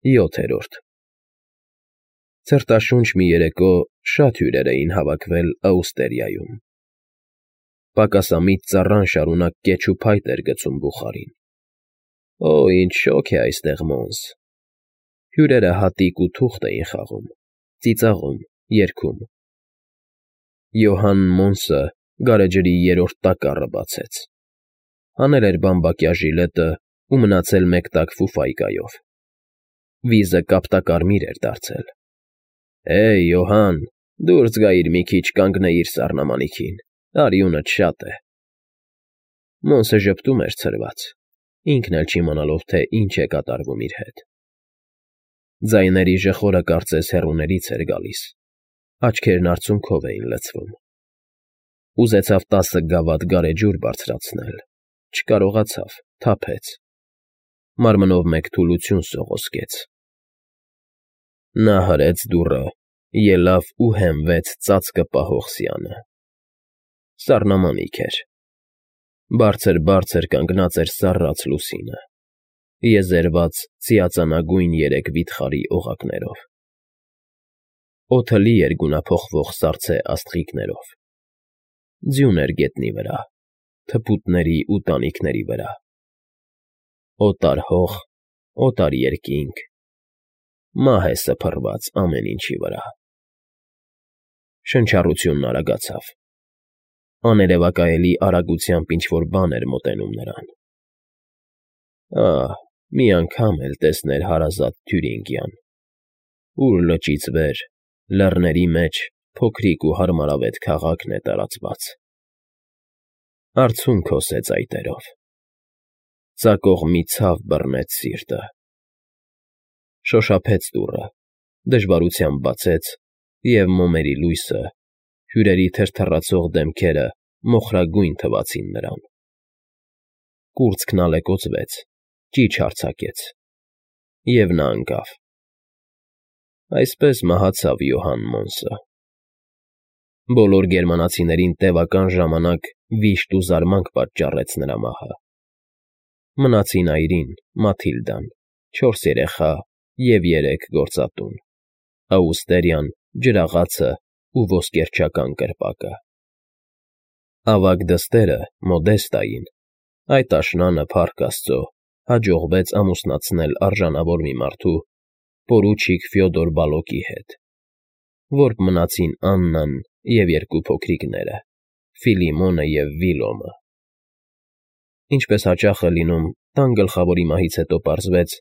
7-րդ Ցրտաշունչ մի երեկո շատ հյուրեր էին հավաքվել Աուստերիայում։ Պակասամիտ ծառան շարունակ կեչ ու փայտ էր գցում բուխարին։ Օ, ինչ շոգ է այստեղ, Մոնս… Հյուրերը հատիկ ու թուղթ էին խաղում, ծիծաղում, երգում։ Յոհան Մոնսը գարեջրի երրորդ տակառը բացեց, հանել էր բամբակյա ժիլետը ու մնացել մեկ տակ ֆուֆայկայով։ Վիզը կապտակարմիր էր դարձել։ Հեյ, Յոհան, դուրս գայիր մի քիչ, կանգնեիր սառնամանիքին, արյունդ շատ է։ Մոնսը ժպտում էր ցրված, ինքն էլ չիմանալով, թե ինչ է կատարվում իր հետ։ Ձայների ժխորը կարծես հեռուներից էր գալիս, աչքերն արցունքով էին լցվում։ Ուզեցավ 10 գավաթ գարեջուր բարձրացնել, չկարողացավ, թափեց։ Մարմնով մեկ թուլություն սողոսկեց։ Նա հրեց դուռը, ելավ ու հենվեց ծածկը պահող սյանը։ Սառնամանիք էր։ Բարձր կանգնած էր սառած լուսինը, եզերված ծիածանագույն 3 վիթխարի օղակներով։ Օդը լի էր գունափոխվող սառցե աստղիկներով։ Ձյուն էր գետնի վրա, թփուտների ու տանիքների վրա։ Օտար հող, օտար երկինք, մահ է սփռված ամեն ինչի վրա։ Շնչառությունն արագացավ։ Աներևակայելի արագությամբ ինչ֊որ բան էր մոտենում նրան։ Ահ, մի անգամ էլ տեսներ հարազատ Թյուրինգյան, ուր լճից վեր, լեռների մեջ փոքրիկ ու հարմարավետ քաղաքն է տարածված։ Արցունք հոսեց այտերով։ Ծակող մի ցավ բռնեց սիրտը։ Շոշափեց դուռը, դժվարությամբ բացեց, և մոմերի լույսը, հյուրերի թրթռացող դեմքերը մոխրագույն թվացին նրան։ Կուրծքն ալեկոծվեց, ճիչ արձակեց, և նա ընկավ։ Այսպես մահացավ Յոհան Մոնսը։ Բոլոր գերմանացիներին տևական ժամանակ վիշտ ու զարմանք պատճառեց նրա մահը։ Մնացին այրին, Մաթիլդան, 4 երեխա և 3 գործատուն, Աուստերիան, ջրաղացը ու ոսկերչական կրպակը։ Ավագ դստերը՝ Մոդեստային, այդ աշնանը, փառք Աստծո, հաջողվեց ամուսնացնել արժանավոր մի մարդու՝ պորուչիկ Ֆյոդոր Բալոկի հետ, որբ մնացին Աննան և 2 փոքրիկները՝ Ֆիլիմոնը և Վիլոմը։ Ինչպես հաճախ է լինում, տան գլխավորի մահից հետո պարզվեց,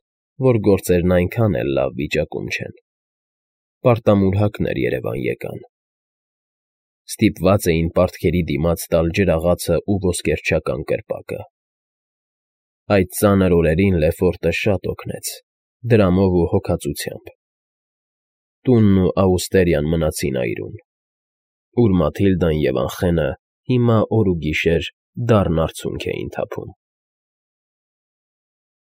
որ գործերն այնքան էլ լավ վիճակում չեն։ Պարտամուրհակներ երևան եկան։ Ստիպված էին պարտքերի դիմաց տալ ջրաղացը ու ոսկերչական կրպակը։ Այդ ծանր օրերին Լեֆորտը շատ օգնեց, դրամով ու հոգածությամբ։ Տունն ու Աուստերիան մնացին այրուն, ուր Մաթիլդան և Անխենը հիմա օր ու գիշեր դառն արցունք էին թափում։